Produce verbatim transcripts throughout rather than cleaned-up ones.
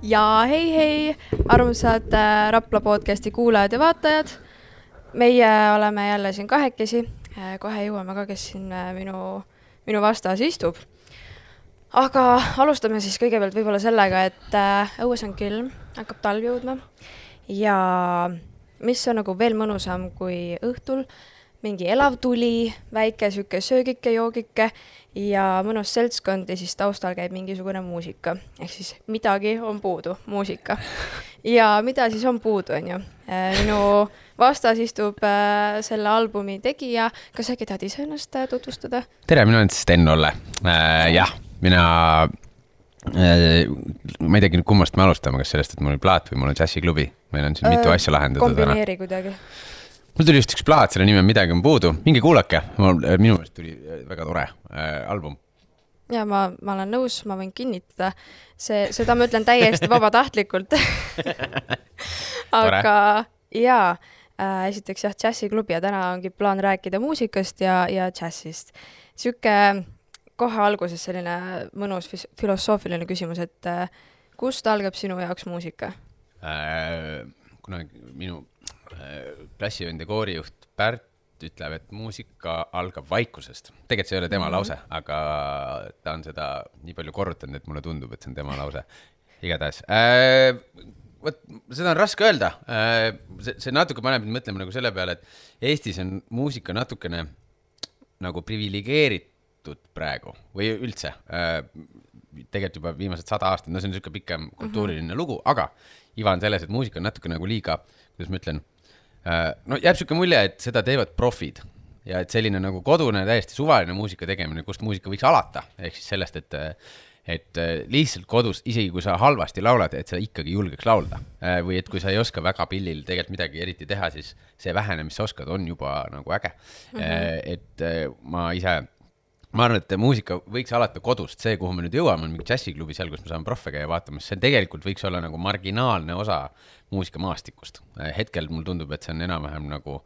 Ja hei hei, armsad äh, Rapla podcasti kuulajad ja vaatajad. Meie oleme jälle siin kahekesi. Äh, kohe jõuame ka, kes siin äh, minu, minu vastas istub. Aga alustame siis kõigepealt võib-olla sellega, et äh, õues on külm, hakkab talv jõudma. Ja mis on nagu veel mõnusam kui õhtul, mingi elav tuli, väike süke söögike, joogike ja mõnus seltskond ja siis taustal käib mingisugune muusika. Ehk siis midagi on puudu, muusika. Ja mida siis on puudu, on ju? Minu vastas istub äh, selle albumi tegija. Kas äkki tahad ise ennast tutvustada? Tere, minu on Sten Olle. Äh, jah, mina... Äh, ma ei teagi nüüd kummast me alustame, kas sellest, et mul on plaat või mul on džässiklubi. Meil on siin mitu äh, asja lahendatud. Kombineeri kuidagi. Mul tuli just üks plaat, selle nime Midagi on puudu. Mingi kuulake. Mul, minu meelest tuli väga tore äh, album. Ja ma, ma olen nõus, ma võin kinnitada. See, seda ma ütlen täiesti vabatahtlikult. Aga jaa, äh, esiteks jah, džässiklubi ja täna ongi plaan rääkida muusikast ja, ja džässist. Süke kohe alguses selline mõnus filosoofiline küsimus, et äh, kust algab sinu jaoks muusika? Äh, kuna minu klassivend ja koorijuht Pärt ütleb, et muusika algab vaikusest. Tegelikult see ei ole tema mm-hmm. lause, aga ta on seda nii palju korrutanud, et mulle tundub, et see on tema lause. Igatahes. Äh, võt, seda on raske öelda. Äh, see, see natuke paneb mõtlema nagu selle peale, et Eestis on muusika natukene nagu privilegeeritud praegu või üldse. Äh, tegelikult juba viimased sada aastat, no see on niisugune pikem kultuuriline mm-hmm. lugu, aga iva on selles, et muusika on natuke nagu liiga, kuidas ma ütlen, no jääb siuke mulje, et seda teevad profid ja et selline nagu kodune täiesti suvaline muusika tegemine, kust muusika võiks alata, ehk siis sellest, et, et lihtsalt kodus, isegi kui sa halvasti laulad, et sa ikkagi julgeks laulda või et kui sa ei oska väga pillil tegelikult midagi eriti teha, siis see vähene, mis sa oskad, on juba nagu äge. Mm-hmm. Et ma ise ma arvan, et muusika võiks alata kodust, see, kuhu me nüüd jõuame, on mingi džässiklubi seal, kus me saame proffe käia vaatamas, see tegelikult võiks olla nagu marginaalne osa muusikamaastikust. Hetkel mul tundub, et see on enam-vähem nagu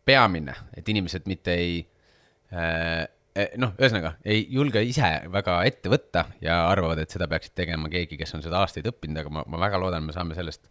peamine, et inimesed mitte ei, noh, ühesõnaga, ei julge ise väga ette võtta ja arvavad, et seda peaksid tegema keegi, kes on seda aastaid õppinud, aga ma, ma väga loodan, me saame sellest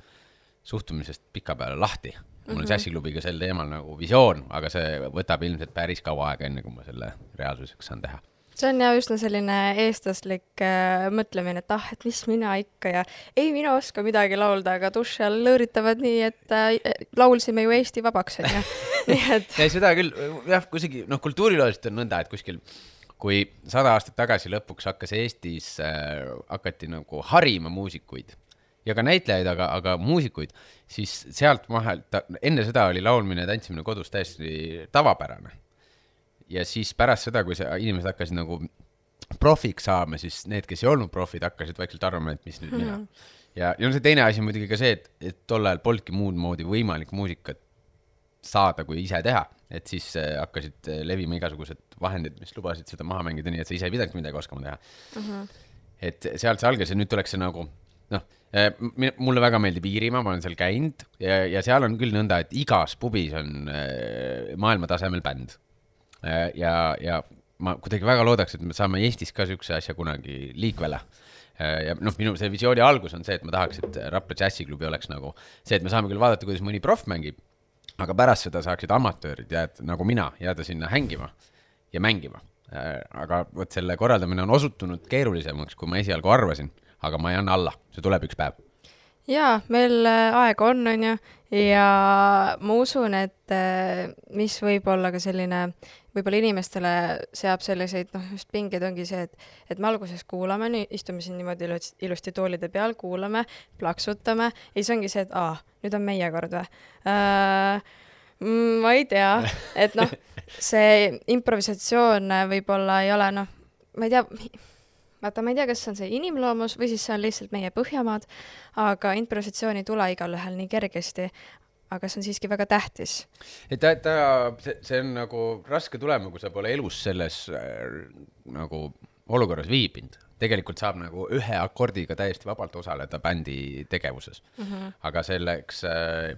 suhtumisest pika peale lahti. Mul on džässiklubiga sel teemal nagu visioon, aga see võtab ilmselt päris kaua aega enne, kui ma selle reaalsuseks saan teha. See on ja üsna selline eestlaslik äh, mõtlemine, et ah, et mis mina ikka ja ei mina oska midagi laulda, aga duši all lõõritavad nii, et äh, laulsime ju Eesti vabaks. Ja, nii et... ja seda küll, jah, kusagi, noh, kultuurilooliselt on nõnda, et kuskil, kui sada aastat tagasi lõpuks hakkas Eestis, äh, hakati nagu harima muusikuid ja ka näitlejaid, aga, aga muusikuid, siis sealt mahel, ta, enne seda oli laulmine ja tantsimine kodus täiesti tavapärane. Ja siis pärast seda, kui see inimesed hakkasid nagu profiks saama, siis need, kes ei olnud profid, hakkasid vaikselt arvama, et mis nüüd mina. Mm-hmm. Ja, ja see teine asi muidugi ka see, et, et tol ajal polnudki muud moodi võimalik muusikat saada, kui ise teha. Et siis äh, hakkasid levima igasugused vahendid, mis lubasid seda maha mängida, nii et sa ise ei pidanud midagi oskama teha. Mm-hmm. Et sealt see algas ja nüüd tuleks see nagu, noh, mulle väga meeldib Iirimaa, ma olen seal käinud ja, ja seal on küll nõnda, et igas pubis on äh, maailma tasemel bänd. Ja, ja ma kuidagi väga loodaks, et me saame Eestis ka sükse asja kunagi liikvele. Ja noh, minu see visiooni algus on see, et ma tahaks, et Rapla džässiklubi oleks nagu see, et me saame küll vaadata, kuidas mõni prof mängib, aga pärast seda saaksid amatöörid jääd, nagu mina jääda sinna hängima ja mängima. Aga võt selle korraldamine on osutunud keerulisemaks, kui ma esialgu arvasin, aga ma ei anna alla, see tuleb üks päev. Jaa, meil aega on, on ju, ja ma usun, et mis võib olla ka selline, võib-olla inimestele seab selliseid, noh, just pinged ongi see, et, et me alguses kuulame, nii, istume siin niimoodi ilusti toolide peal, kuulame, plaksutame, ja siis ongi see, et aa, nüüd on meie kord või? Äh, ma ei tea, et noh, see improvisatsioon võib-olla ei ole, noh, ma ei tea, vaata, ma ei tea, kas see on see inimloomus või siis see on lihtsalt meie Põhjamaad, aga improvisatsiooni ei tule igal ühel nii kergesti, aga see on siiski väga tähtis. Et ta, ta, see, see on nagu raske tulema, kui sa pole elus selles äh, nagu olukorras viibinud. Tegelikult saab nagu ühe akordiga täiesti vabalt osaleda bändi tegevuses. Mm-hmm. Aga selleks äh,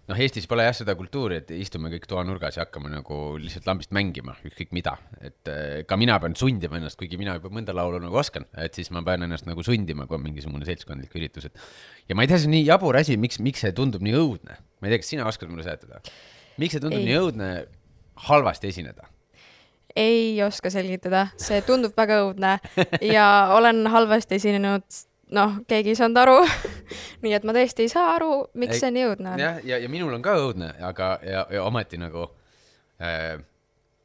noh, Eestis pole jah seda kultuuri, et istume kõik toanurgas ja hakkame nagu lihtsalt lambist mängima, ükskõik mida. Et ka mina pean sundima ennast, kuigi mina juba mõnda laulu nagu oskan, et siis ma pean ennast nagu sundima, kui on mingisugune seltskondlik üritus. Et... ja ma ei tea, see on nii jabur asi, miks, miks see tundub nii õudne. Ma ei tea, kas sina oskad mulle seletada. Miks see tundub ei. nii õudne halvasti esineda? Ei oska selgitada, see tundub väga õudne ja olen halvasti esinenud, noh, keegi ei saanud aru, nii et ma tõesti ei saa aru, miks ei, see nii õudne on. Ja, ja, ja minul on ka õudne, aga ja, ja ometi nagu äh,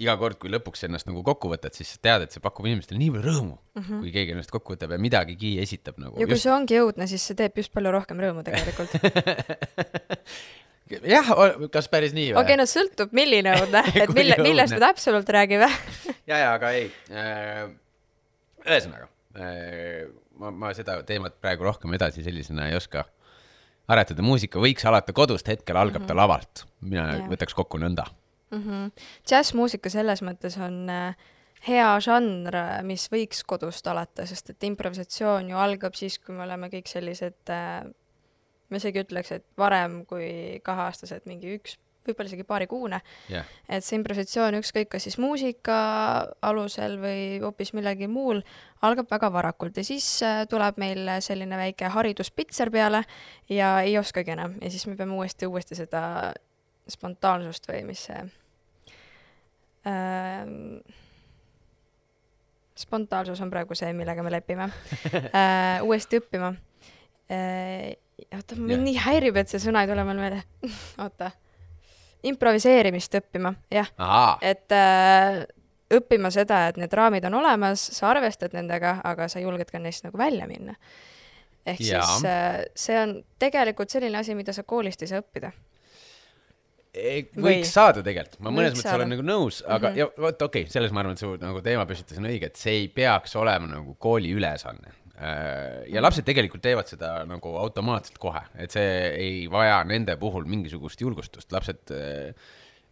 iga kord, kui lõpuks ennast nagu kokku võtad, siis tead, et see pakub inimestele nii palju rõõmu, mm -hmm. kui keegi ennast kokku võtab ja midagigi esitab. Nagu, ja kui just... see ongi õudne, siis see teeb just palju rohkem rõõmu tegelikult. jah, kas päris nii või? Okei, okay, no sõltub milline õudne, et mille, millest me täpselt räägime. ja, ja, aga ei. Ühesõnaga, ma, ma seda teemat praegu rohkem edasi sellisena ei oska aretada. Muusika võiks alata kodust, hetkel algab mm -hmm. ta lavalt. Mina yeah. võtaks kokku nõnda. Mm -hmm. Jazz-muusika selles mõttes on hea žanr, mis võiks kodust alata, sest et improvisatsioon ju algab siis, kui me oleme kõik sellised... ma isegi ütleks, et varem kui kaheaastased, mingi üks, võib-olla isegi paari kuune, yeah. et see improvisatsioon ükskõik kas siis muusika alusel või hoopis millegi muul algab väga varakult ja siis tuleb meil selline väike hariduspitser peale ja ei oskagi enam ja siis me peame uuesti, uuesti seda spontaansust või mis see äh, spontaansus on praegu see, millega me lepime äh, uuesti õppima äh, oota, mind yeah. nii häirib, et see sõna ei tule meil meelde. oota. Improviseerimist õppima, jah. Aha. Et äh, õppima seda, et need raamid on olemas, sa arvestad nendega, aga sa julged ka neist nagu välja minna. Ehk ja. siis äh, see on tegelikult selline asi, mida sa koolist ei saa õppida. Ei, võiks Või? saada tegelikult. Ma mõnes mõttes olen nagu nõus, aga mm -hmm. ja vot okei, okay, selles ma arvan, et su nagu teema püstitus on õige, et see ei peaks olema nagu kooli ülesanne. Ja lapsed tegelikult teevad seda nagu automaatselt kohe, et see ei vaja nende puhul mingisugust julgustust. Lapsed äh,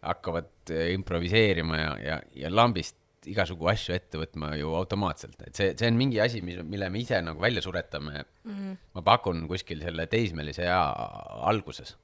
hakkavad improviseerima ja, ja, ja lambist igasugu asju ette võtma ju automaatselt. Et see, see on mingi asi, mille me ise nagu välja suretame. Mm-hmm. Ma pakun kuskil selle teismelise ea alguses.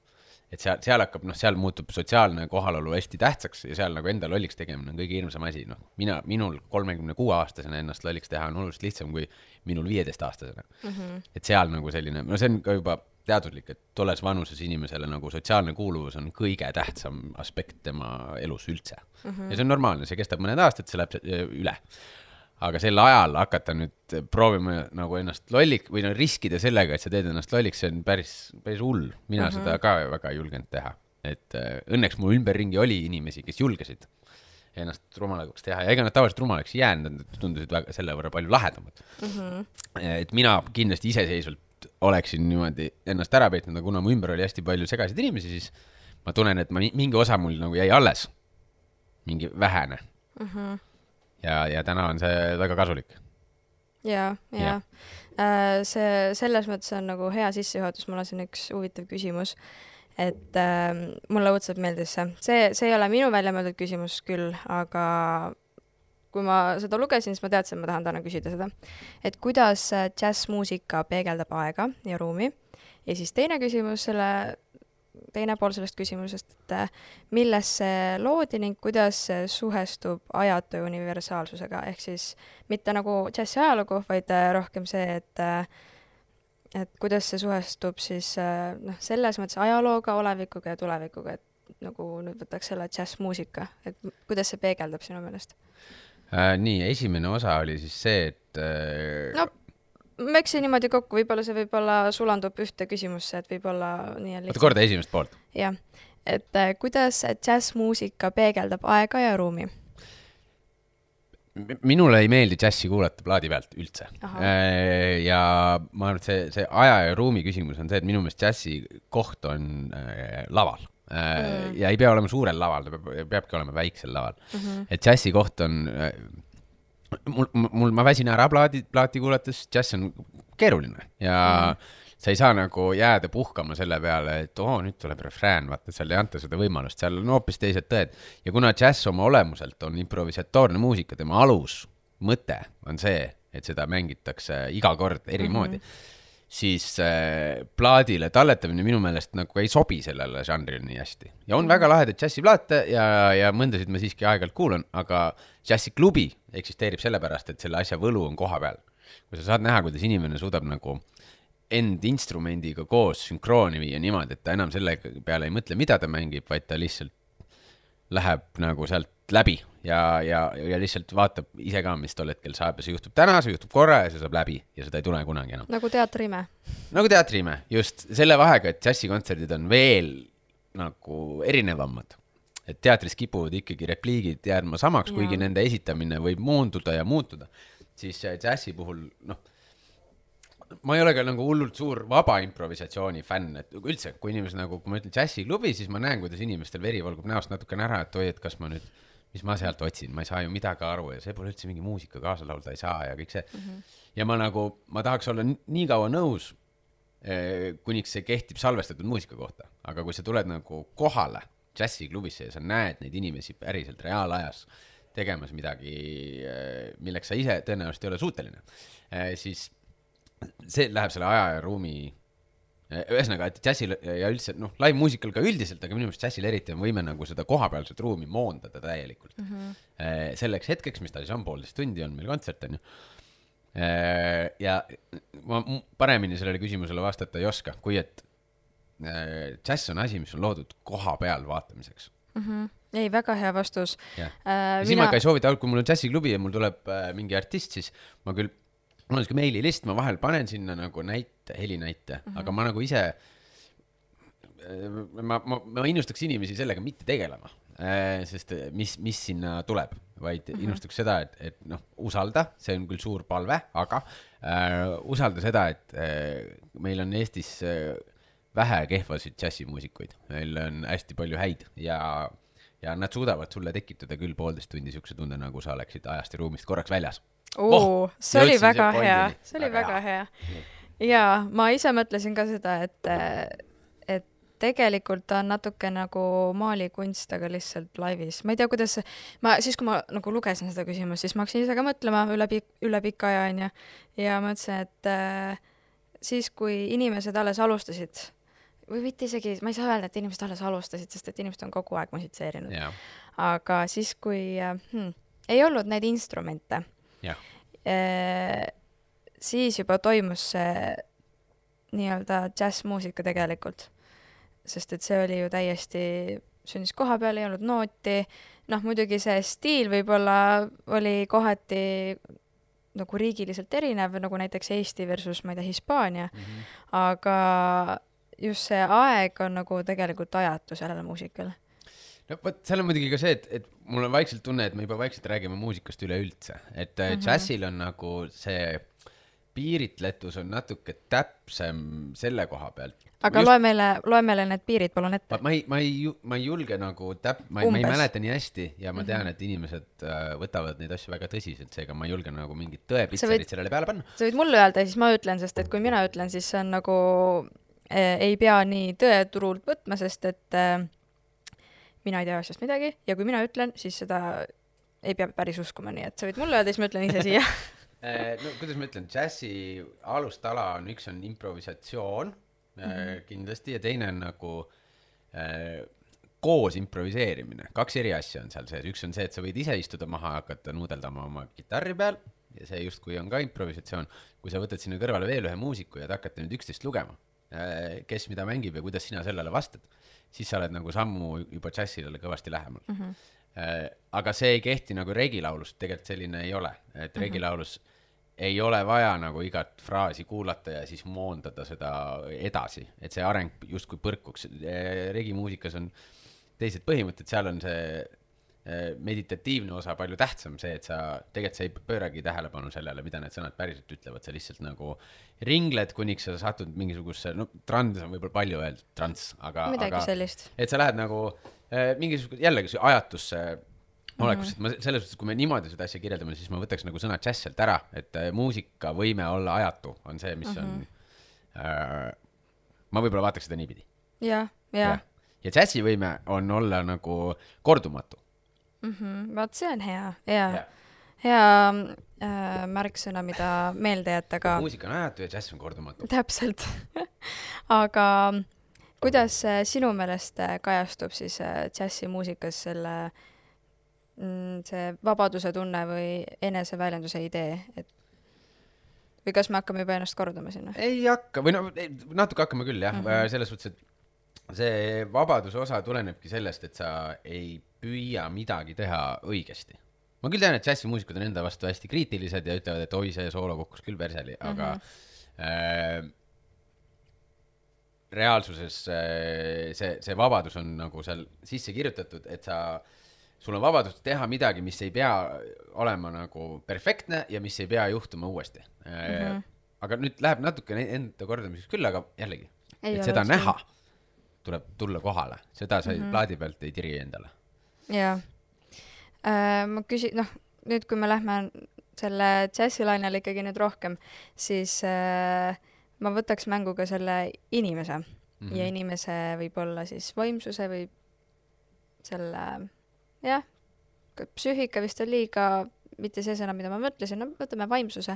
Et seal, seal hakkab, noh, seal muutub sotsiaalne kohalolu hästi tähtsaks ja seal nagu enda lolliks tegemine on kõige hirmsam asi. Noh, mina, minul kolmekümne kuue aastasena ennast lolliks teha on oluliselt lihtsam kui minul viieteist aastasena. Mm-hmm. Et seal nagu selline, no see on ka juba teaduslik, et tolles vanuses inimesele nagu sotsiaalne kuuluvus on kõige tähtsam aspekt tema elus üldse. Mm-hmm. Ja see on normaalne, see kestab mõned aastad, see läheb üle. Aga sel ajal hakata nüüd proovima nagu ennast lollik või no riskida sellega, et sa teed ennast lolliks, see on päris, päris hull. Mina mm-hmm. seda ka väga julgenud teha. Et äh, õnneks mu ümberringi oli inimesi, kes julgesid ennast rumalaks teha ja ega nad tavaliselt rumalaks jäänud, nad tundusid väga selle võrra palju lahedamad. Mm-hmm. Et mina kindlasti iseseisvalt oleksin niimoodi ennast ära peetnud, aga kuna mu ümber oli hästi palju segasid inimesi, siis ma tunnen, et ma, mingi osa mul nagu jäi alles. Mingi vähene. Mm-hmm. Ja, ja täna on see väga kasulik. Ja, ja. ja. Äh, see selles mõttes on nagu hea sissejuhatus. Mul on siin üks huvitav küsimus, et äh, mulle õudselt meeldis see. see. See ei ole minu välja mõeldud küsimus küll, aga kui ma seda lugesin, siis ma teadsin, et ma tahan täna küsida seda. Et kuidas džässmuusika peegeldab aega ja ruumi? Ja siis teine küsimus selle teine pool sellest küsimusest, et milles see loodi ning kuidas see suhestub ajatu universaalsusega, ehk siis mitte nagu džässi ajalugu, vaid rohkem see, et, et kuidas see suhestub siis noh, selles mõttes ajalooga, olevikuga ja tulevikuga, et nagu nüüd võtaks selle džässmuusika, et kuidas see peegeldab sinu meelest? Äh, nii, esimene osa oli siis see, et äh... no, ma eksin niimoodi kokku, võib-olla see võib-olla sulandub ühte küsimusse, et võib-olla nii on lihtsalt. Korda esimest poolt. Jah, et äh, kuidas džässmuusika peegeldab aega ja ruumi? Minule ei meeldi džässi kuulata plaadi pealt üldse. Äh, ja ma arvan, et see, see aja ja ruumi küsimus on see, et minu meelest džässi koht on äh, laval. Äh, mm. Ja ei pea olema suurel laval, ta peab, peabki olema väiksel laval. Mm-hmm. Et džässi koht on... Äh, Mul, mul, ma väsin ära plaati, plaati kuulates, džäss on keeruline ja mm. sa ei saa nagu jääda puhkama selle peale, et oo, nüüd tuleb refrään, vaata, seal ei anta seda võimalust, seal on hoopis teised tõed. Ja kuna džäss oma olemuselt on improvisatoorne muusika, tema alus mõte on see, et seda mängitakse iga kord eri mm-hmm. moodi, siis äh, plaadile talletamine minu meelest nagu ei sobi sellele žanrile nii hästi. Ja on mm. väga lahedad džässiplaate ja, ja mõndasid ma siiski aeg-ajalt kuulan, aga džässiklubi eksisteerib sellepärast, et selle asja võlu on koha peal. Kui sa saad näha, kuidas inimene suudab nagu end instrumendiga koos sünkrooni viia niimoodi, et ta enam selle peale ei mõtle, mida ta mängib, vaid ta lihtsalt läheb nagu sealt läbi ja, ja, ja lihtsalt vaatab ise ka, mis tol hetkel saab ja see juhtub täna, see juhtub korra ja see saab läbi ja seda ei tule kunagi enam. Nagu teatriime. Nagu teatriime, just selle vahega, et džässikontserdid on veel nagu erinevamad. Et teatris kipuvad ikkagi repliigid jäädma samaks, ja. Kuigi nende esitamine võib moonduda ja muutuda. Siis džässi puhul, noh, ma ei ole ka nagu hullult suur vaba improvisatsiooni fänn, et üldse, kui inimesed nagu, kui ma ütlen džässiklubi, siis ma näen, kuidas inimestel veri valgub näost natukene ära, et oi, et kas ma nüüd, mis ma sealt otsin, ma ei saa ju midagi aru ja see pole üldse mingi muusika kaasa laulda ei saa ja kõik see. Mm-hmm. Ja ma nagu, ma tahaks olla nii kaua nõus, kuniks see kehtib salvestatud muusika kohta, aga kui sa tuled nagu kohale džässiklubisse ja sa näed neid inimesi päriselt reaalajas tegemas midagi, milleks sa ise tõenäoliselt ei ole suuteline, siis see läheb selle aja ja ruumi ühesõnaga, et džässil ja üldse, noh, live muusikal ka üldiselt, aga minu meelest džässil eriti on võime nagu seda kohapealset ruumi moondada täielikult. Mm-hmm. Selleks hetkeks, mis ta siis on poolteist tundi, on meil kontsert, on ju. Ja ma paremini sellele küsimusele vastata ei oska, kui et džäss on asi, mis on loodud koha peal vaatamiseks. Mm-hmm. Ei, väga hea vastus. Ja, äh, ja siis mina... ma ka ei soovita, kui mul on džässiklubi ja mul tuleb äh, mingi artist, siis ma küll mul on siuke meililist, ma vahel panen sinna nagu näite, helinäite, mm-hmm. aga ma nagu ise, ma, ma, ma innustaks inimesi sellega mitte tegelema, sest mis, mis sinna tuleb, vaid mm-hmm. innustaks seda, et, et noh, usalda, see on küll suur palve, aga äh, usalda seda, et äh, meil on Eestis äh, vähe kehvasid džässimuusikuid, meil on hästi palju häid ja, ja nad suudavad sulle tekitada küll poolteist tundi siukse tunde, nagu sa oleksid ajast ja ruumist korraks väljas. Oo, oh, see oli väga hea, see oli väga, väga hea. hea. Ja ma ise mõtlesin ka seda, et, et tegelikult on natuke nagu maalikunst, aga lihtsalt laivis. Ma ei tea, kuidas, ma, siis kui ma nagu lugesin seda küsimust, siis ma hakkasin ise ka mõtlema üle, üle pika aja, on ja, ja ma mõtlesin, et äh, siis kui inimesed alles alustasid, või mitte isegi, ma ei saa öelda, et inimesed alles alustasid, sest et inimesed on kogu aeg musitseerinud. Yeah. Aga siis, kui äh, hmm, ei olnud neid instrumente, Ja. E, siis juba toimus see nii-öelda džässmuusika tegelikult, sest et see oli ju täiesti sündis koha peal, ei olnud nooti, noh muidugi see stiil võib-olla oli kohati nagu riigiliselt erinev, nagu näiteks Eesti versus, ma ei tea, Hispaania, mm-hmm. aga just see aeg on nagu tegelikult ajatu sellele muusikale. No, võt, seal on muidugi ka see, et, et mul on vaikselt tunne, et me juba vaikselt räägime muusikast üle üldse. Et mm-hmm. džässil on nagu see piiritletus on natuke täpsem selle koha pealt. Aga Just... loe, meile, loe meile need piirid palun ette. Ma, ma, ei, ma, ei, ma ei julge nagu täp... Ma, ma ei mäleta nii hästi ja ma tean, et inimesed äh, võtavad neid asju väga tõsiselt, seega ma ei julge nagu mingit tõepitserid võid, sellele peale panna. Sa võid mulle öelda ja siis ma ütlen, sest et kui mina ütlen, siis see on nagu äh, ei pea nii tõeturult võtma, sest et äh, mina ei tea asjast midagi ja kui mina ütlen, siis seda ei pea päris uskuma, nii et sa võid mulle öelda, siis ma ütlen ise siia. No kuidas ma ütlen, džässi alustala on, üks on improvisatsioon mm-hmm. kindlasti ja teine on nagu äh, koos improviseerimine. Kaks eri asja on seal sees. Üks on see, et sa võid ise istuda maha ja hakata nuudeldama oma kitarri peal ja see justkui on ka improvisatsioon. Kui sa võtad sinna kõrvale veel ühe muusiku ja hakkate nüüd üksteist lugema, äh, kes mida mängib ja kuidas sina sellele vastad, siis sa oled nagu sammu juba džässile kõvasti lähemal. Mm-hmm. Äh, aga see ei kehti nagu regilaulus, tegelikult selline ei ole. Et mm-hmm. regilaulus ei ole vaja nagu igat fraasi kuulata ja siis moondada seda edasi, et see areng justkui põrkuks. Regimuusikas on teised põhimõtted, seal on see meditatiivne osa palju tähtsam, see, et sa tegelikult sa ei pööragi tähelepanu sellele, mida need sõnad päriselt ütlevad, sa lihtsalt nagu ringled, kuniks sa satud mingisuguse, no trans on võib-olla palju öeldud, trans, aga, aga sellist. Et sa lähed nagu äh, mingisugune jällegi ajatusse olekus, et ma selles suhtes, kui me niimoodi seda asja kirjeldame, siis ma võtaks nagu sõna džäss sealt ära, et äh, muusika võime olla ajatu, on see, mis mm-hmm. on äh, ma võib-olla vaataks seda niipidi. Ja, ja. Ja, ja džässi võime on olla nagu kordumatu. Mm-hmm. Vaat see on hea, hea. Ja. Ja, äh, märksõna, mida meelde jätta ka. Muusika on ajatu ja džäss on kordumatu. Täpselt. Aga kuidas sinu meelest kajastub siis džässimuusikas selle see vabaduse tunne või eneseväljenduse idee, et või kas me hakkame juba ennast kordama sinna? Ei hakka, või no natuke hakkame küll jah, mm -hmm. selles suhtes, et see vabaduse osa tulenebki sellest, et sa ei püüa midagi teha õigesti. Ma küll tean, et džässimuusikud on enda vastu hästi kriitilised ja ütlevad, et oi, see soolo kukkus küll perseli, aga mm -hmm. äh, reaalsuses äh, see, see vabadus on nagu seal sisse kirjutatud, et sa sul on vabadus teha midagi, mis ei pea olema nagu perfektne ja mis ei pea juhtuma uuesti. Mm -hmm. Aga nüüd läheb natuke enda kordamiseks küll, aga jällegi, ei et seda näha see. Tuleb tulla kohale. Seda sa mm -hmm. plaadi pealt ei tiri endale. Jaa. Äh, ma küsin, noh, nüüd kui me lähme selle džässilainele ikkagi nüüd rohkem, siis äh, ma võtaks mängu ka selle inimese. Mm -hmm. Ja inimese võib olla siis vaimsuse või selle... jah, psüühika vist on liiga, mitte see sõna, mida ma mõtlesin, no võtame vaimsuse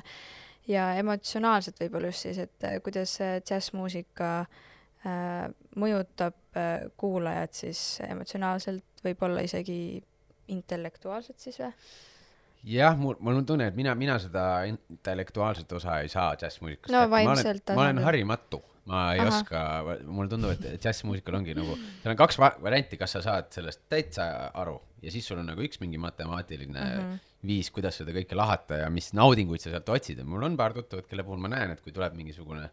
ja emotsionaalselt võib-olla just siis, et kuidas džässmuusika äh, mõjutab äh, kuulajat siis emotsionaalselt, võib-olla isegi intellektuaalselt siis või? Jah, mul, mul on tunne, et mina, mina seda intellektuaalset osa ei saa džässmuusikast. No vaimselt. Ma olen, ma olen harimatu. Ma ei Aha. oska, mulle tundub, et džässimuusikal ongi nagu, seal on kaks varianti, kas sa saad sellest täitsa aru ja siis sul on nagu üks mingi matemaatiline mm -hmm. viis, kuidas seda kõike lahata ja mis naudinguid sa sealt otsid. Ja mul on paar tuttavat, kelle puhul ma näen, et kui tuleb mingisugune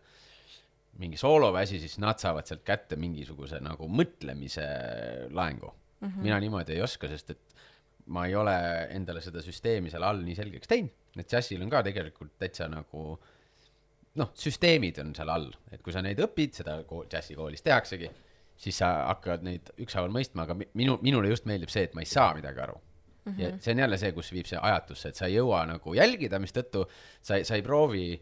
mingi sooloväsi, siis nad saavad sealt kätte mingisuguse nagu mõtlemise laengu. Mm -hmm. Mina niimoodi ei oska, sest et ma ei ole endale seda süsteemi seal all nii selgeks teinud. Et džässil on ka tegelikult täitsa nagu noh, süsteemid on seal all, et kui sa neid õpid, seda džässikoolis tehaksegi, siis sa hakkad neid ükshaaval mõistma, aga minu, minule just meeldib see, et ma ei saa midagi aru. Mm -hmm. Ja see on jälle see, kus viib see ajatusse, et sa ei jõua nagu jälgida, mis tõttu sa, sa ei proovi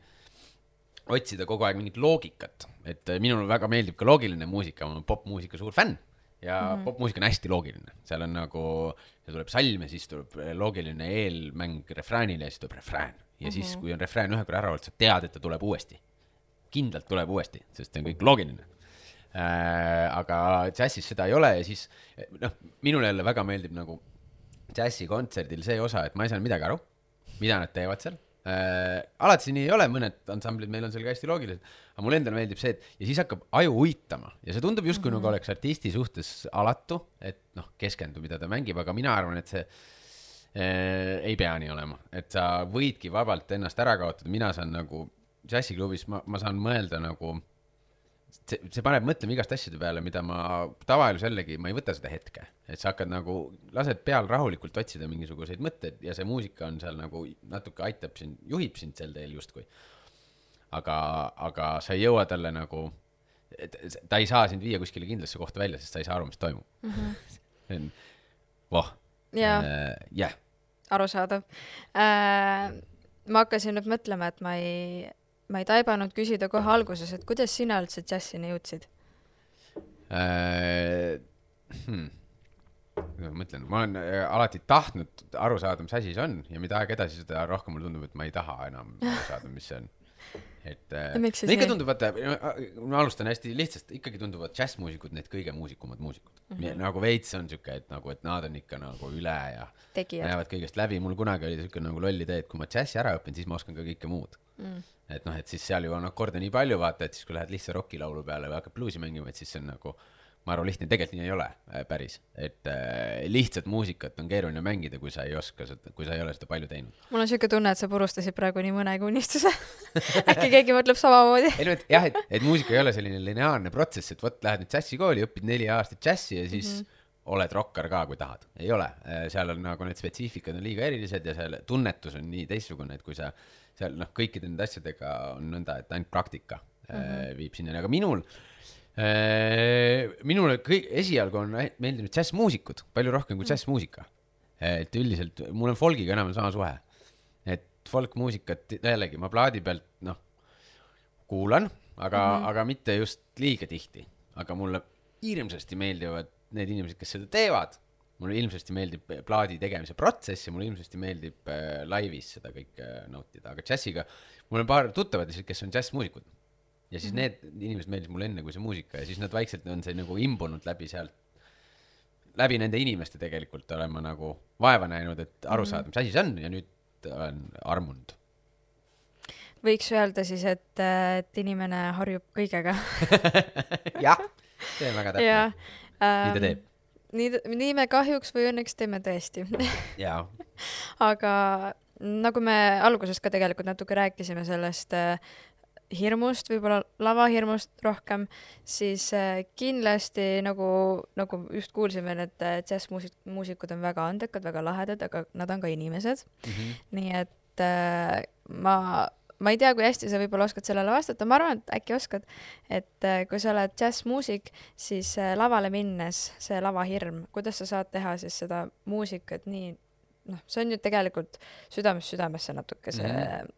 otsida kogu aeg mingit loogikat, et minule väga meeldib ka loogiline muusika, ma olen popmuusika suur fänn ja mm -hmm. popmuusika on hästi loogiline, seal on nagu, see tuleb salm ja siis tuleb loogiline eelmäng refräänile ja siis tuleb refrään. Ja siis, kui on refrään ühe korra ära olnud, sa tead, et ta tuleb uuesti. Kindlalt tuleb uuesti, sest see on kõik loogiline. Äh, aga džässis seda ei ole ja siis, noh, minule jälle väga meeldib nagu džässikontserdil see osa, et ma ei saa midagi aru, mida nad teevad seal. Äh, alati siin ei ole, mõned ansamblid meil on seal ka hästi loogilised, aga mulle endale meeldib see, et ja siis hakkab aju uitama ja see tundub justkui mm -hmm. nagu oleks artisti suhtes alatu, et noh, keskendu, mida ta mängib, aga mina arvan, et see ei pea nii olema, et sa võidki vabalt ennast ära kaotada, mina saan nagu džässiklubis, ma, ma saan mõelda nagu, see, see paneb mõtlema igast asjade peale, mida ma tavaelus jällegi, ma ei võta seda hetke, et sa hakkad nagu, lased peal rahulikult otsida mingisuguseid mõtteid ja see muusika on seal nagu natuke aitab sind, juhib sind sel teel justkui. Aga, aga sa ei jõua talle nagu, ta ei saa sind viia kuskile kindlasse kohta välja, sest sa ei saa aru, mis toimub. Mm -hmm. Voh. Jah. Uh, yeah. Arusaadav. Äh, ma hakkasin nüüd mõtlema, et ma ei, ma ei taibanud küsida kohe alguses, et kuidas sina üldse džässini jõudsid? Äh, hmm. Ma mõtlen, ma olen alati tahtnud aru saada, mis asi see on ja mida aeg edasi, seda rohkem mulle tundub, et ma ei taha enam aru saada, mis see on. Et no ikka tundub, vaata, ma alustan hästi lihtsast, ikkagi tunduvad džässmuusikud need kõige muusikumad muusikud. Mm -hmm. Nagu veits on siuke, et nagu, et nad on ikka nagu üle ja tegijad. Näevad kõigest läbi. Mul kunagi oli siuke nagu lolli idee, et kui ma džässi ära õpin, siis ma oskan ka kõike muud. Mm. Et noh, et siis seal ju on akorde nii palju, vaata, et siis kui lähed lihtsa rockilaulu peale või hakkad bluusi mängima, et siis see on nagu, ma arvan, lihtne, tegelikult nii ei ole päris. Et äh, lihtsat muusikat on keeruline mängida, kui sa ei oska seda, kui sa ei ole seda palju teinud. Mul on siuke tunne, et sa purustasid praegu nii mõnegi unistuse. Äkki keegi mõtleb samamoodi. Ei, no, et, jah, et, et muusika ei ole selline lineaarne protsess, et võt, lähed nüüd džässikooli, õpid neli aastat džässi ja siis mm -hmm. oled rokkar ka, kui tahad. Ei ole. Seal on nagu need spetsiifikad on liiga erilised ja seal tunnetus on nii teistsugune, et kui sa seal noh, kõikide nende asjadega on nõnda, et ainult praktika mm -hmm. viib sinna. Aga minul minule kõik, esialgu on meeldinud džässmuusikud palju rohkem kui džässmuusika. Et üldiselt, mul on folgiga enam sama suhe. Et folkmuusikat jällegi ma plaadi pealt, noh, kuulan, aga, mm -hmm. aga mitte just liiga tihti. Aga mulle hirmsasti meeldivad need inimesed, kes seda teevad. mulle ilmsesti meeldib plaadi tegemise protsess ja mulle ilmsesti meeldib äh, laivis seda kõike nautida, aga džässiga, mul on paar tuttavad, kes on džässmuusikud ja siis mm-hmm. need inimesed meeldis mulle enne kui see muusika ja siis nad vaikselt on see nagu imbunud läbi sealt, läbi nende inimeste tegelikult olen ma nagu vaeva näinud, et aru saada, mis asi see on ja nüüd olen armunud. Võiks öelda siis, et, et inimene harjub kõigega. jah, see on väga täpne. Ja, ähm, nii ta teeb. Nii, nii me kahjuks või õnneks teeme tõesti. Jaa. Aga nagu me alguses ka tegelikult natuke rääkisime sellest äh, hirmust, võib-olla lavahirmust rohkem, siis äh, kindlasti nagu, nagu just kuulsime, et džässmuusikud on väga andekad, väga lahedad, aga nad on ka inimesed. Mm-hmm. Nii et äh, ma... ma ei tea, kui hästi sa võib-olla oskad sellele vastata, ma arvan, et äkki oskad, et kui sa oled džässmuusik, siis lavale minnes see lavahirm, kuidas sa saad teha siis seda muusikat nii, noh, see on ju tegelikult südames südamesse natuke see mm.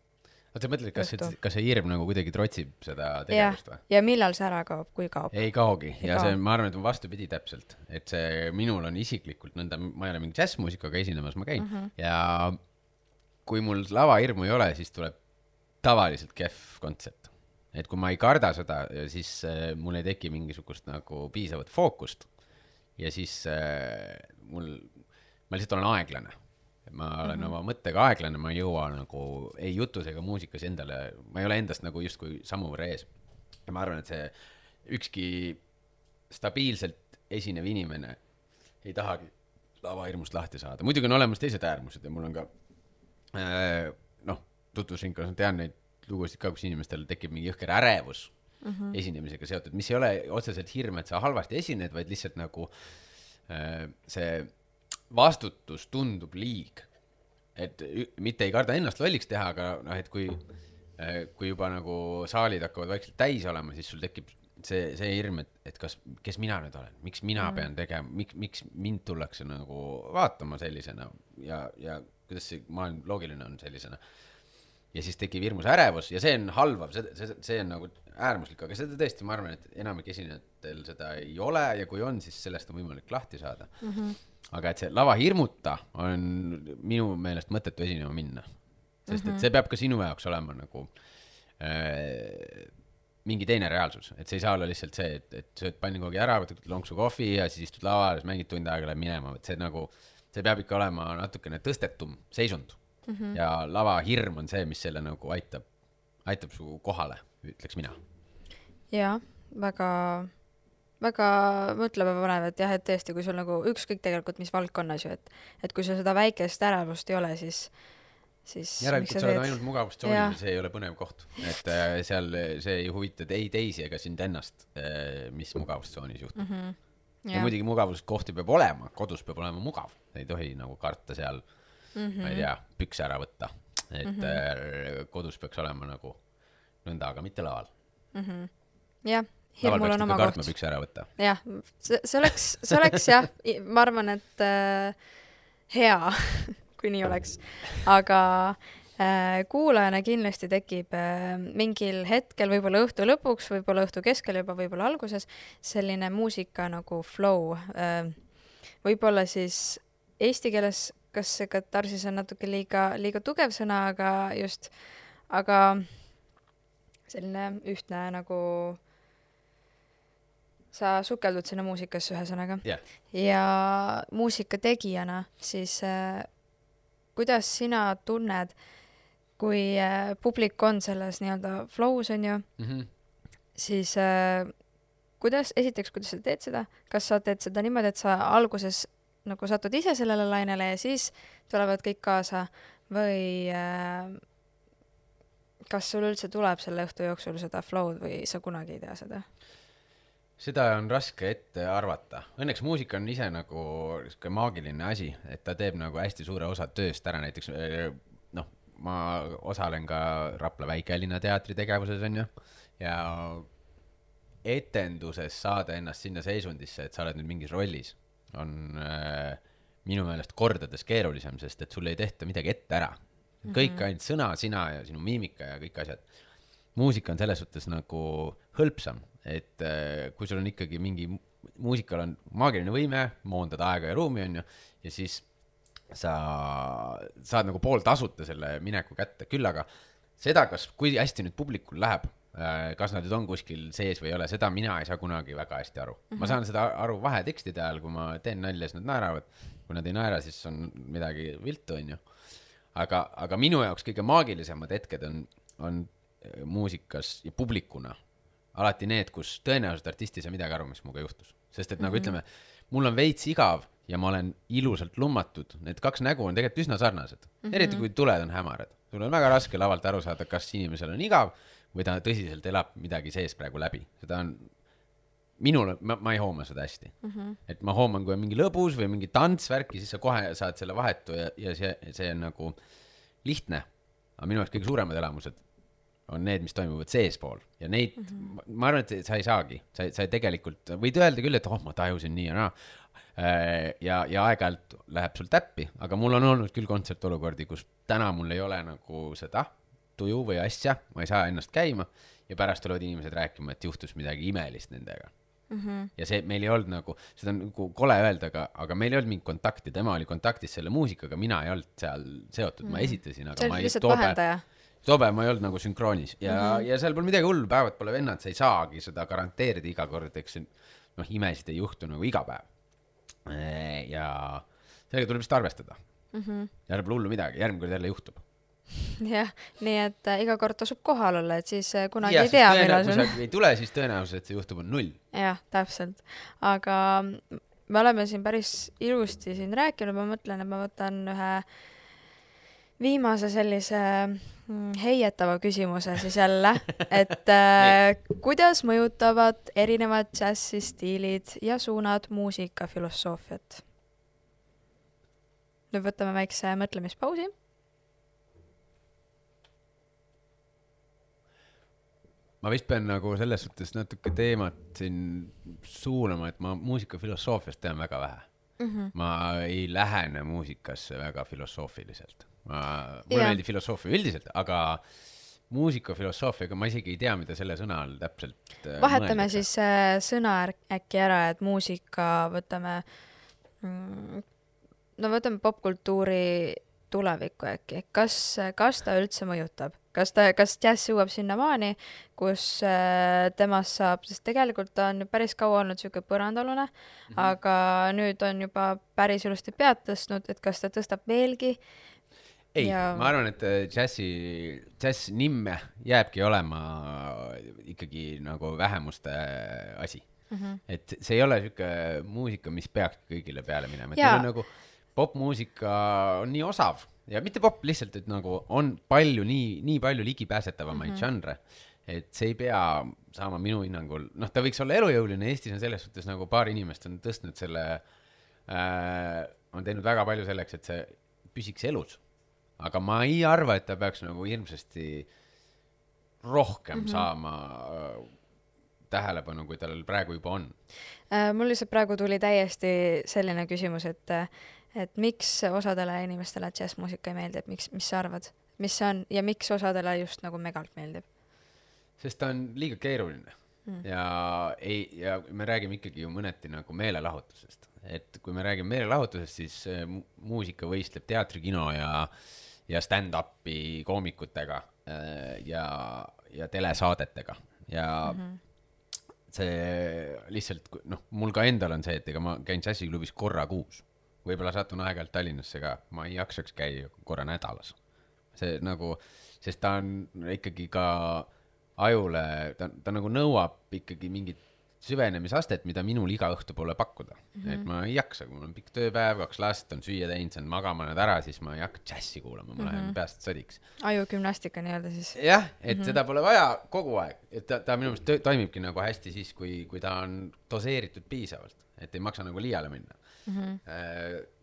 Oot, sa mõtled, kas, kas see hirm nagu kuidagi trotsib seda tegevust või? Ja millal see ära kaob, kui kaob? Ei kaogi ei ja kaob. See, ma arvan, et on vastupidi täpselt, et see minul on isiklikult nõnda, ma ei ole mingi džässmuusikaga esinemas, ma käin mm -hmm. ja kui mul lavahirmu ei ole, siis tuleb tavaliselt kehv kontsept. Et kui ma ei karda seda, siis äh, mul ei teki mingisugust nagu piisavat fookust ja siis äh, mul, ma lihtsalt olen aeglane. Ma olen mm -hmm. oma mõttega aeglane, ma ei jõua nagu ei jutus ega muusikas endale, ma ei ole endast nagu justkui sammu võrra ees. Ja ma arvan, et see ükski stabiilselt esinev inimene ei tahagi lavahirmust lahti saada. Muidugi on olemas teised äärmused ja mul on ka äh, noh, tutvusringkonnas tean neid lugusid ka, kus inimestel tekib mingi jõhker ärevus mm-hmm. esinemisega seotud, mis ei ole otseselt hirm, et sa halvasti esined, vaid lihtsalt nagu äh, see vastutus tundub liig. Et mitte ei karda ennast lolliks teha, aga noh, et kui, äh, kui juba nagu saalid hakkavad vaikselt täis olema, siis sul tekib see, see hirm, et, et kas, kes mina nüüd olen, miks mina mm-hmm. pean tegema, miks, miks mind tullakse nagu vaatama sellisena ja, ja kuidas see maailm loogiline on sellisena. Ja siis tekib hirmus ärevus ja see on halvav, see, see, see on nagu äärmuslik, aga seda tõesti ma arvan, et enamik esinejatel seda ei ole ja kui on, siis sellest on võimalik lahti saada. Mm-hmm. Aga et see lava hirmuta on minu meelest mõttetu esinema minna. Sest mm-hmm. et see peab ka sinu jaoks olema nagu äh, mingi teine reaalsus. Et see ei saa olla lihtsalt see, et, et sööd pannikogi ära, võtad lonksu kohvi ja siis istud lava ja mängid tund aega läheb minema. Et see, nagu, see peab ikka olema natukene tõstetum seisund. Mm-hmm. Ja lava hirm on see, mis selle nagu aitab, aitab su kohale, ütleks mina. Jaa, väga, väga mõtlema panev, et jah, et tõesti, kui sul nagu ükskõik tegelikult mis valdkonnas ju, et, et kui sul seda väikest ärevust ei ole, siis, siis järelikult sa oled ainult mugavustsoonil ja see ei ole põnev koht. Et äh, seal see ei huvita ei teisi ega sind ennast, äh, mis mugavustsoonis juhtub. Mm-hmm. Ja, ja muidugi mugavuskohti peab olema, kodus peab olema mugav, ei tohi nagu karta seal Mm-hmm. ma ei tea, pükse ära võtta, et mm-hmm. kodus peaks olema nagu nõnda, aga mitte laval. Mm-hmm. Jah, hirmul on oma koht. Kartma pükse ära võtta. Jah, see, see oleks, see oleks jah, ma arvan, et äh, hea, kui nii oleks, aga äh, kuulajana kindlasti tekib äh, mingil hetkel, võib-olla õhtu lõpuks, võib-olla õhtu keskel juba, võib-olla alguses, selline muusika nagu flow. Äh, võib-olla siis eesti keeles kas see katarsis on natuke liiga, liiga tugev sõna, aga just, aga selline ühtne nagu sa sukeldud sinna muusikasse ühe sõnaga. Yeah. Ja muusika tegijana, siis äh, kuidas sina tunned, kui äh, publik on selles nii-öelda flows on ju, mm-hmm. siis äh, kuidas, esiteks, kuidas sa teed seda? Kas sa teed seda niimoodi, et sa alguses nagu satud ise sellele lainele ja siis tulevad kõik kaasa või äh, kas sul üldse tuleb selle õhtu jooksul seda flow'd või sa kunagi ei tea seda? Seda on raske ette arvata. Õnneks muusika on ise nagu maagiline asi, et ta teeb nagu hästi suure osa tööst ära. Näiteks noh, ma osalen ka Rapla Väike-Linna teatri tegevuses on ju ja etenduses saada ennast sinna seisundisse, et sa oled nüüd mingis rollis on äh, minu meelest kordades keerulisem, sest et sul ei tehta midagi ette ära. Kõik mm-hmm. ainult sõna, sina ja sinu miimika ja kõik asjad. Muusika on selles suhtes nagu hõlpsam, et äh, kui sul on ikkagi mingi muusikal on maagiline võime moondada aega ja ruumi, on ju, ja siis sa saad nagu pool tasuta selle mineku kätte, küll aga seda, kas, kui hästi nüüd publikul läheb, kas nad nüüd on kuskil sees või ei ole, seda mina ei saa kunagi väga hästi aru. Mm-hmm. Ma saan seda aru vahetekstide ajal, kui ma teen nalja, siis nad naeravad, kui nad ei naera, siis on midagi viltu, on ju. Aga, aga minu jaoks kõige maagilisemad hetked on, on muusikas ja publikuna alati need, kus tõenäoliselt artisti ei saa midagi aru, mis muga juhtus. Sest et nagu mm-hmm. ütleme, mul on veits igav ja ma olen ilusalt lummatud. Need kaks nägu on tegelikult üsna sarnased. Mm-hmm. Eriti kui tuled on hämarad. Sul on väga raske lavalt aru saada, kas inimesel on igav või ta tõsiselt elab midagi sees praegu läbi. Seda on minul, ma, ma ei hooma seda hästi. Mm-hmm. Et ma hooman, kui on mingi lõbus või mingi tantsvärki, siis sa kohe saad selle vahetu ja, ja see, see on nagu lihtne. Aga minu jaoks kõige suuremad elamused on need, mis toimuvad seespool. Ja neid, mm-hmm. ma arvan, et sa ei saagi. Sa, sa ei tegelikult, võid öelda küll, et oh, ma tajusin nii ja naa. Ja, ja aeg-ajalt läheb sul täppi. Aga mul on olnud küll kontsertolukordi, kus täna mul ei ole nagu seda tuju või asja. Ma ei saa ennast käima. Ja pärast tulevad inimesed rääkima, et juhtus midagi imelist nendega. Mm-hmm. Ja see, meil ei olnud nagu, seda on nagu kole öelda, aga, aga meil ei olnud mingi kontakti. Tema oli kontaktis selle muusikaga, mina ei olnud seal seotud. Mm-hmm. Ma esitasin, aga see ma ei toobe... Toobe ma ei olnud nagu sünkroonis ja, mm-hmm. ja seal pole midagi hullu, päevad pole vennad, sa ei saagi seda garanteerida iga kord, eks noh, imesid ei juhtu nagu iga päev. Ja sellega tuleb vist arvestada. Mm-hmm. Ja pole hullu midagi, järgmine kord jälle juhtub. Jah, nii et äh, iga kord tasub kohal olla, et siis äh, kunagi ja, ei tea, millal sul... Kui ei tule, siis tõenäoliselt et see juhtub on null. Jah, täpselt. Aga me oleme siin päris ilusti siin rääkinud, ma mõtlen, et ma võtan ühe viimase sellise heietava küsimuse siis jälle, et äh, kuidas mõjutavad erinevad džässistiilid ja suunad muusikafilosoofiat? Nüüd võtame väikse mõtlemispausi. Ma vist pean nagu selles suhtes natuke teemat siin suunama, et ma muusikafilosoofiast tean väga vähe. Mm-hmm. Ma ei lähene muusikasse väga filosoofiliselt. Ma, mulle meeldib filosoofia üldiselt, aga muusikafilosoofiaga ma isegi ei tea, mida selle sõna all täpselt vahetame mõeldakse. Siis äh, sõna äkki ära, et muusika võtame mm, no võtame popkultuuri tulevikku äkki. Kas, kas ta üldse mõjutab? Kas, ta, kas jazz jõuab sinna maani, kus äh, temast saab, sest tegelikult ta on päris kaua olnud siuke põrandalune, mm-hmm. aga nüüd on juba päris ilusti pead tõstnud, et kas ta tõstab veelgi? Ei, ja... ma arvan, et džässi, džäss nimme jääbki olema ikkagi nagu vähemuste asi. Mm-hmm. Et see ei ole siuke muusika, mis peaks kõigile peale minema. Et on nagu popmuusika on nii osav ja mitte pop lihtsalt, et nagu on palju, nii, nii palju ligipääsetavamaid mm-hmm. žanre, et see ei pea saama minu hinnangul, noh, ta võiks olla elujõuline, Eestis on selles suhtes nagu paar inimest on tõstnud selle, äh, on teinud väga palju selleks, et see püsiks elus. Aga ma ei arva, et ta peaks nagu hirmsasti rohkem mm-hmm. saama äh, tähelepanu, kui tal praegu juba on. Äh, mul lihtsalt praegu tuli täiesti selline küsimus, et, et miks osadele inimestele džässmuusika ei meeldib, miks, mis sa arvad, mis see on ja miks osadele just nagu megalt meeldib? Sest ta on liiga keeruline mm. ja, ei, ja me räägime ikkagi ju mõneti nagu meelelahutusest. Et kui me räägime meelelahutusest, siis muusika võistleb teatri, kino ja ja stand-upi koomikutega ja, ja telesaadetega. Ja mm-hmm. see lihtsalt, noh, mul ka endal on see, et ega ma käin džässiklubis korra kuus. Võib-olla satun aeg-ajalt Tallinnasse ka, ma ei jaksaks käia korra nädalas. See nagu, sest ta on ikkagi ka ajule, ta, ta nagu nõuab ikkagi mingit süvenemisastet, mida minul iga õhtu pole pakkuda. Mm-hmm. Et ma ei jaksa, kui mul on pikk tööpäev, kaks last on süüa teinud, see on magama nad ära, siis ma ei hakka džässi kuulama, ma mm-hmm. lähen peast sodiks. Ajugümnastika nii-öelda siis. Jah, et mm-hmm. seda pole vaja kogu aeg. Et ta, ta minu meelest toimibki nagu hästi siis, kui, kui ta on doseeritud piisavalt, et ei maksa nagu liiale minna. Mm-hmm.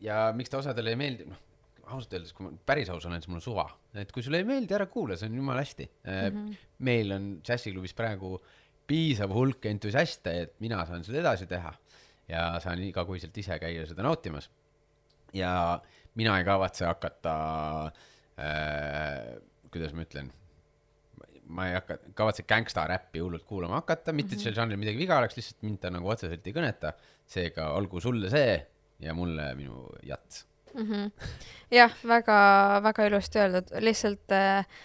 Ja miks ta osadele ei meeldi, noh, ausalt öeldes, kui ma päris aus olen, siis mul on suva. Et kui sulle ei meeldi, ära kuule, see on jumal hästi. Mm-hmm. Meil on džässiklubis praegu piisav hulk entusiaste, et mina saan seda edasi teha ja saan igakuiselt ise käia seda nautimas. Ja mina ei kavatse hakata, äh, kuidas ma ütlen, ma ei hakka, kavatse gangsta räppi hullult kuulama hakata, mitte et seal žanril midagi viga oleks, lihtsalt mind ta nagu otseselt ei kõneta, seega olgu sulle see ja mulle minu jats. Mm-hmm. Jah, väga, väga ilusti öeldud, lihtsalt äh,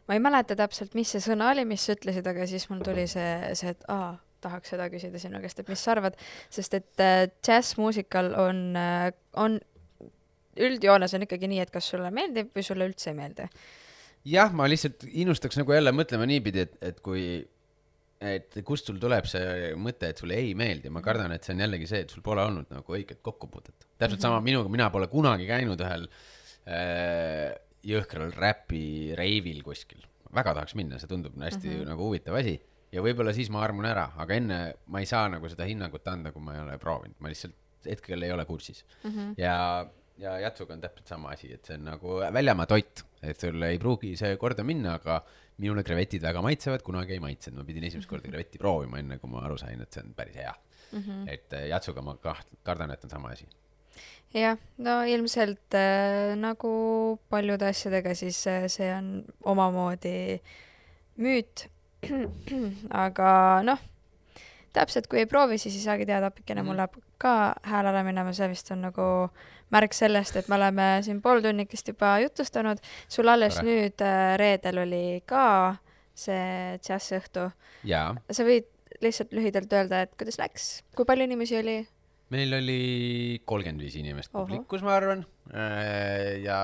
ma ei mäleta täpselt, mis see sõna oli, mis sa ütlesid, aga siis mul tuli see, see et aa, tahaks seda küsida sinu käest, et mis sa arvad, sest et äh, jazzmuusikal on, äh, on üldjoones on ikkagi nii, et kas sulle meeldib või sulle üldse ei meeldi? Jah, ma lihtsalt innustaks nagu jälle mõtlema niipidi, et, et kui, et kust sul tuleb see mõte, et sulle ei meeldi, ma kardan, et see on jällegi see, et sul pole olnud nagu õiget kokkupuudet. Täpselt mm-hmm. sama minuga, mina pole kunagi käinud ühel äh, jõhkral räpi reivil kuskil. Väga tahaks minna, see tundub hästi mm-hmm. nagu huvitav asi. Ja võib-olla siis ma armun ära, aga enne ma ei saa nagu seda hinnangut anda, kui ma ei ole proovinud. Ma lihtsalt hetkel ei ole kursis. Mm-hmm. Ja ja jatsuga on täpselt sama asi, et see on nagu väljamaa toit, et sul ei pruugi see korda minna, aga minule krevetid väga maitsevad, kunagi ei maitsenud, ma pidin esimest korda krevetti proovima enne, kui ma aru sain, et see on päris hea mm-hmm. et jatsuga ma kaht, kardan, et on sama asi. Jah, no ilmselt äh, nagu paljude asjadega siis äh, see on omamoodi müüt aga noh, täpselt kui ei proovi, siis ei saagi teada, appikene mm-hmm. mul läheb ka hääl ära minema, see vist on nagu märk sellest, et me oleme siin pool tunnikest juba jutustanud. Sul alles Tore. Nüüd äh, reedel oli ka see džässõhtu. Jaa. Sa võid lihtsalt lühidalt öelda, et kuidas läks? Kui palju inimesi oli? Meil oli kolmkümmend viis inimest publikus, ma arvan. Ja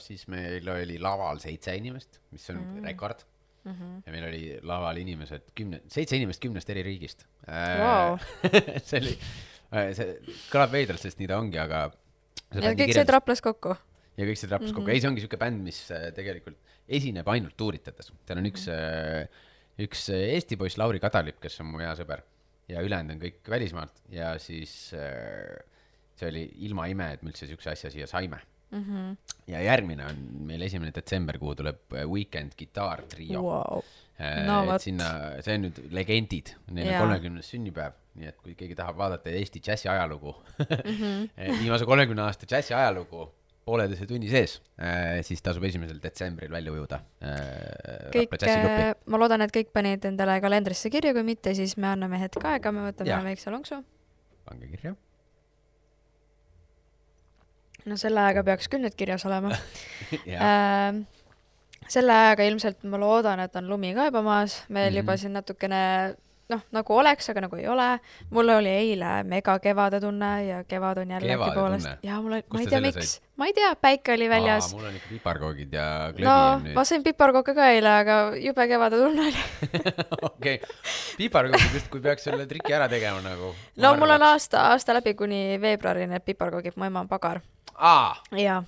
siis meil oli laval seitse inimest, mis on mm. rekord. Mm-hmm. Ja meil oli laval inimesed, kümne, seitse inimest kümnest eri riigist. Wow. see oli, see kõlab veidralt, sest nii ta ongi, aga ja kõik see traplas kokku. Ja kõik see traplas mm-hmm. kokku. Ei, see ongi siuke bänd, mis tegelikult esineb ainult tuuritades. Seal on üks, mm-hmm. üks Eesti poiss Lauri Kadalip, kes on mu hea sõber ja ülejäänud on kõik välismaalt ja siis see oli ilma ime, et me üldse siukse asja siia saime. Mm-hmm. Ja järgmine on meil esimene detsember, kuhu tuleb Weekend Guitar Trio. Wow. No, sinna, see on nüüd legendid, neil on kolmekümnes sünnipäev, nii et kui keegi tahab vaadata Eesti džässi ajalugu mm-hmm. viimase kolmekümne aasta džässi ajalugu pooleteise tunni sees, siis tasub esimesel detsembril välja ujuda. Kõik, ma loodan, et kõik panid endale kalendrisse kirja, kui mitte, siis me anname hetk aega, me võtame ja. Väikse lonksu. Pange kirja. No selle ajaga peaks küll nüüd kirjas olema. äh, selle ajaga ilmselt ma loodan, et on lumi ka juba maas. Meil mm-hmm. juba siin natukene, noh, nagu oleks, aga nagu ei ole. Mul oli eile mega kevade tunne ja kevad on jällegi kevade poolest. Tunne? Ja mul oli, ma ei tea, miks. Said? Ma ei tea, päike oli väljas. Aa, mul on ikka piparkoogid ja klõbi. No, ma sain piparkooke ka eile, aga jube kevade tunne oli. Okei, piparkoogid just, kui peaks selle triki ära tegema nagu. No arvaks. Mul on aasta, aasta läbi kuni veebruari need piparkoogid, mu ema on pagar. Aa! Jaa,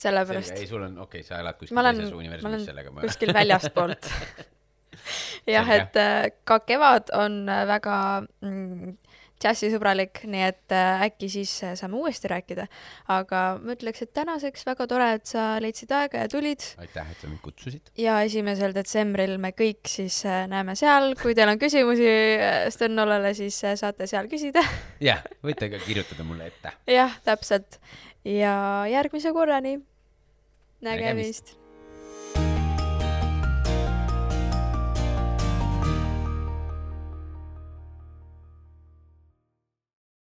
sellepärast. Ei, sul on, okei, okay, sa elad kuskil teises universumis sellega. Ma olen kuskil väljast poolt. Jah, et ka kevad on väga mm, džässisõbralik, nii et äkki siis saame uuesti rääkida. Aga ma ütleks, et tänaseks väga tore, et sa leidsid aega ja tulid. Aitäh, et sa mind kutsusid. Ja esimesel detsembril me kõik siis näeme seal. Kui teil on küsimusi Sten-Ollele, siis saate seal küsida. Jah, võite ka kirjutada mulle ette. Jah, täpselt. Ja järgmise korrani. Nägemist.